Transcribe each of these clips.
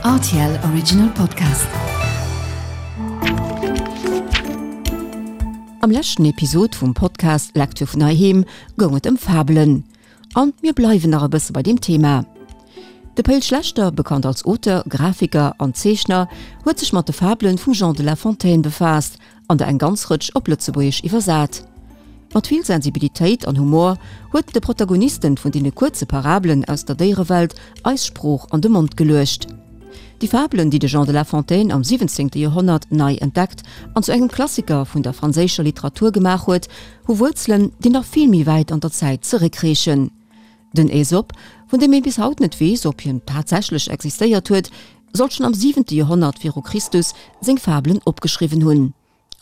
Rtl Original Podcast. Am leschten Episod vum Podcast Lecture vun heiheem goung et ëm Fabelen. An mir bleiwen nach e bësse bei deem Thema. De Pe'l Schlechter, bekannt als Auteur, Grafiker an Zeechner, huet sech mat de Fabelen vum Jean de La Fontaine befaasst an der eng ganz Rëtsch op Lëtzebuergesch iwwersat. Mat vill Sensibilitéit an Humor huet en de Protagonisten vun deene kuerze Parabelen aus der Déierewelt eis Sprooch an de Mond geluecht. Déi Fabelen, déi de Jean de La Fontaine am 17. Joerhonnert nei entdeckt an zu engem Klassiker vun der franséischer Literatur gemaach huet, hu Wuerzelen, déi nach vill méi wäit an der Zäit zeréckreechen. Den Aesop, vun deem ee bis haut net weess, ob hien tatsächlech existéiert huet, soll schonn am siwente Joerhonnert viru Christus seng Fabelen opgeschriwwen hunn.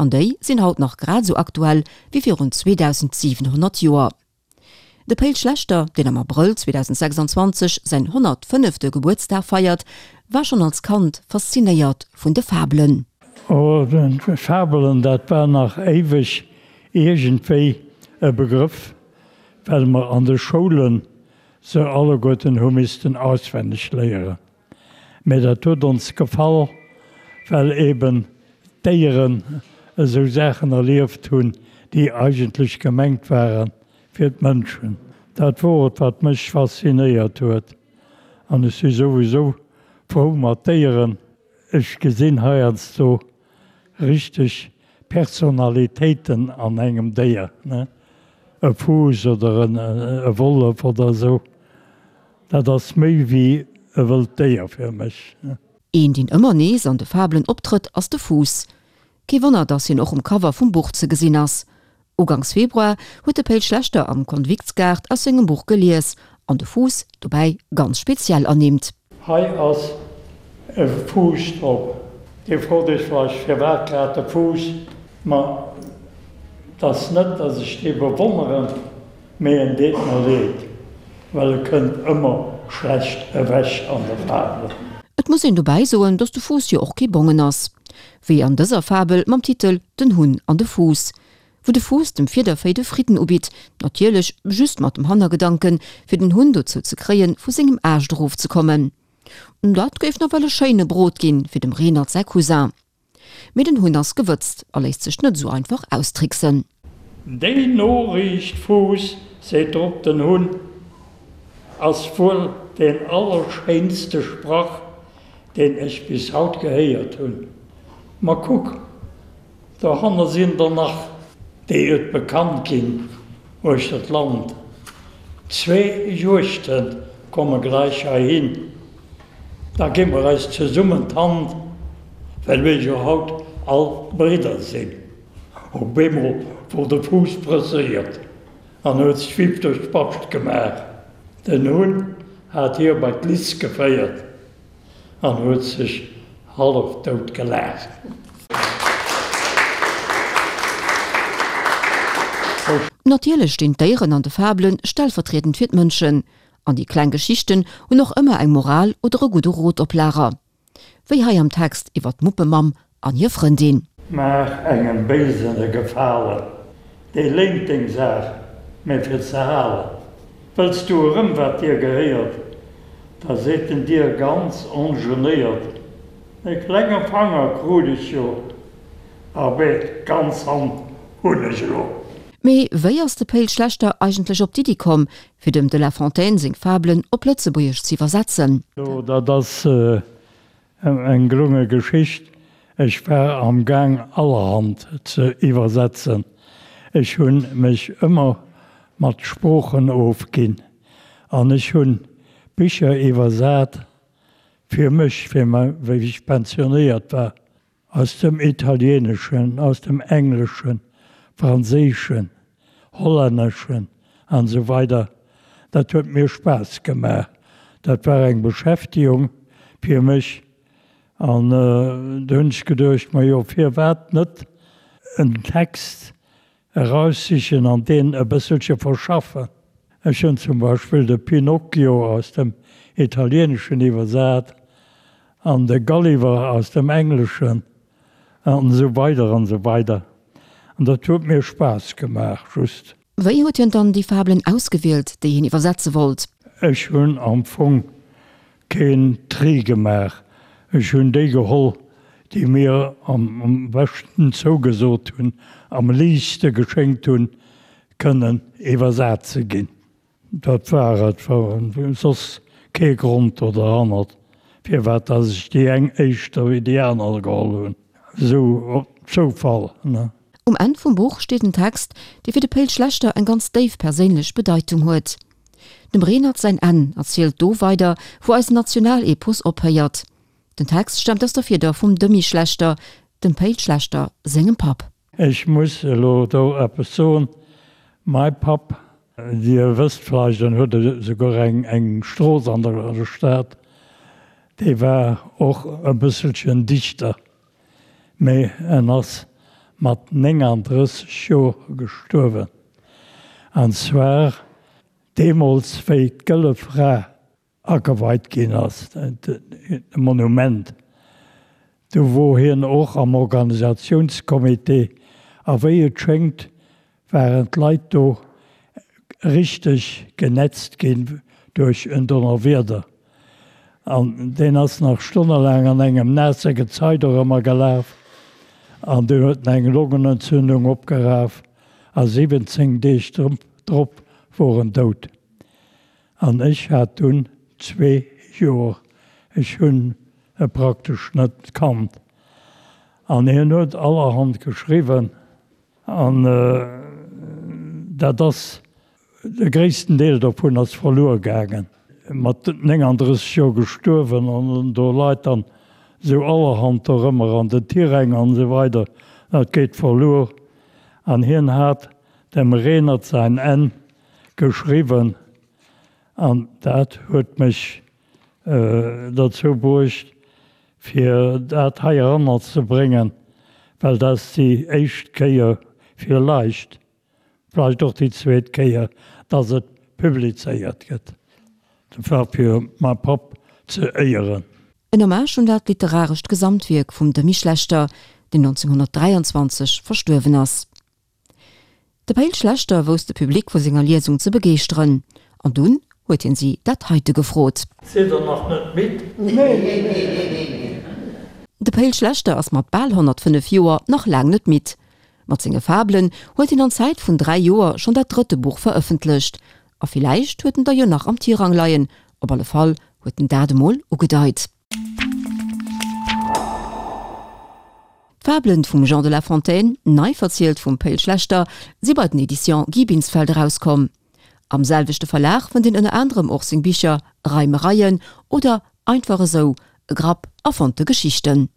An déi sinn haut nach grad esou aktuell wéi virun 2700 Joer. De Pe'l Schlechter, deen am Abrëll 2026 säin 105. Gebuertsdag feiert, war schonn als Kand faszinéiert vun de Fabelen. Oh, Fabelen, dat war nach éiweg iergendwéi e Begrëff, well mer an de Schoulen se alleguerten hu missten auswenneg léieren. Mä dat huet ons gefall, well eben d'Déieren esou Saachen erlieft hunn, déi eigentlech gemengt ware fir d'Mënschen. Dat wor et, wat mech faszinéiert huet. An ech si souwisou frou mat Déieren. Ech gesinn heiansdo richteg Personalitéiten an engem Déier, ne? E Fuuss oder e Wollef oder esou, dat ass méi wéi e wëllt Déier fir mech. Een, deen ëmmer nees an de Fabelen optrëtt, ass de Fuuss. Kee Wonner, dass hien och um Cover vum Buch ze gesinn ass. Uganks Februar huet de Pe'l Schlechter am Konviktsgaart aus sengem Buch gelies an de Fuuss dobäi ganz speziell ernimmt. Hei ass e Fuuss drop. Dir frot iech vläicht, firwat grad de Fuuss? Ma 't ass net, dass ech dee bewonneren, mee en deet mer leed, well e kënnt ëmmer schlecht ewech an de Fabelen. Et muss een dobäi soen, dass de Fuuss jo och kee Bongen ass. Wéi an dëser Fabel mam Titel Den Hunn an de Fuuss. Wou de Fuuss dem Fiedervéi de Fridden ubitt, natierlech just mat dem Hannergedanken, fir den Hunn dozou ze kréien, vu sengem Aascht erofzekommen. Dat géif nawell e schéine Brot ginn fir dem Renert säi Cousin. Mee den Hunn ass gewëtzt a léisst sech net esou einfach austricksen. Déi Noriicht, Fuuss, seet drop den Hunn, ass wuel deen allerschéinste Sprach, deen ech bis haut gehéiert hunn. Ma kuck, Dohanner sinn der nach, déi et bekannt ginn uechter d'Land. Zwee Juegdhënn komme gläich heihin, da gi mer eis zesummen d'Hand, well mir jo haut all Bridder sinn. Op eemol wor de Fuuss presséiert an huet d'Schwipp duerch d'Bascht gemaach. Den Hunn hat hie bei d'Liz geféiert. An huet sech hallef dout gelaacht. Natierlech stinn d'Déieren an de Fabele stellvertriedend fir d'Mënschen. An déi kleng Geschichten hunn och ëmmer eng Moral oder e gudde Rot op Lager. Wéi hei am Text iwwer d'Muppemamm an hir Frëndin. Maach engem Béisen e Gefalen, dee léint deng Saach, mä fir ze halen. Wëlls du erëm wat dir gehéiert, da seet en dir ganz ongenéiert, E klenge Fanger krut ech jo, abee d'ganz Hand hunn ech elo. Mee wéi ass de Pe'l Schlechter eigentlech op d'Iddi komm, fir dem de La Fontaine seng Fabelen op Lëtzebuergesch z'iwwersetzen? Jo, dat ass Eng gelunge Geschicht. Ech war am Gaang allerhand ze iwwersetzen. Ech hunn mech ëmmer mat Sproochen ofginn an ech hunn Bicher iwwersat fir mech, fir wéi ech pensionéiert war, aus dem Italieneschen, aus dem Engleschen, Franséischen, Hollänneschen an esou weider. Dat huet mir Spaass gemaach. Dat war eng Beschäftigung fir mech. An du hunn ech geduecht, majo firwat net en Text eraussichen an deen e bësselche verschaffen. Ech hunn zum Beispill de Pinocchio aus dem Italieneschen iwwersat an de Gulliver aus dem Engleschen. An esou weider an esou weider. An dat huet mir Spaass gemaach, just. Wéi huet hien dann déi Fabelen ausgewielt, déi hien iwwersetze wollt? Ech hunn am Fong keen Tri gemaach. Ech hunn déi geholl, déi mir am beschten zougesot hunn, am liichtste geschéngt hunn, kënnen iwwersat ze ginn. Dat war et, war soss kee Grond do derhannert, firwat dass ech déi eng éischter wéi déi aner geholl hunn. Esou op Zoufall, ne. Um Enn vum Buch steet en Text, dee fir de Pe'l Schlechter eng ganz déif perséinlech Bedeitung huet. Dem Renert säin Enn erzielt do weider, wou eisen Nationalepos ophéiert. Den Text staamt aus der Fieder vum Demy Schlechter, dem Pe'l Schlechter sengem Papp. Ech muss elo do eppes soen, Mai Papp, Dir wësst vläicht, en huet esouguer eng Strooss an der Stad, dee war och e bësselchen Dichter, mee en ass mat 39 Joer gestuerwen, an zwar deemools wéi d'Gëlle Fra ageweit ginn ass, de Monument, do wor hien och am Organisatiounscomité a wéi et schéngt waren d'Leit do richteg genetzt ginn duerch en Donnerwieder an deen ass nach stonnelaang an engem naasse Gezei dorëmmer gelaf an dunn huet en eng Longenentzündung opgeraf a 17 Deeg drop wor en dout. An ech hat dunn zwee Joer, ech hunn e praktesch net kannt. An hien huet allerhand geschriwwen an dat ass, de gréissten Deel dovun ass verluer gaangen. Mat 39 Joer gestuerwen an do leit dann esou allerhand dorëmmer an den Tiräng an esou weider, dat geet verluer. An hien hat dem Renert säin Enn geschriwwen an dat huet mech derzou bruecht, fir dat hei eranner ze bréngen, well dat ass déi éischt Kéier villeicht, vläicht och déi zweet Kéier, dass et publizéiert gëtt. Dat war fir mäi Papp ze éieren. En Hommage un dat literarescht Gesamtwierk vum Demy Schlechter, deen 1923 verstuerwen ass. De Pe'l Schlechter wousst de Public vu senger Liesung ze begeeschteren, an dunn huet hien si dat heite gefrot. Sidd der nach net midd? Nee. De Pe'l Schlechter ass mat bal 105 Joer nach laang net midd. Mat senge Fabelen huet hien an Zäit vun 3 Joer schonn dat drëtte Buch verëffentlecht. A villäicht huet en der jo nach am Tirang leien, op alle Fall huet en dat emol ugedeit. D'Fabelen vum Jean de La Fontaine, nei verzielt vum Pe'l Schlechter, si bei den Editions Guy Binsfeld erauskomm. Am selwechte Verlag fënnt een ënner anerem och seng Bicher Reimereien oder Einfach esou, e Grapp erfonnte Geschichten.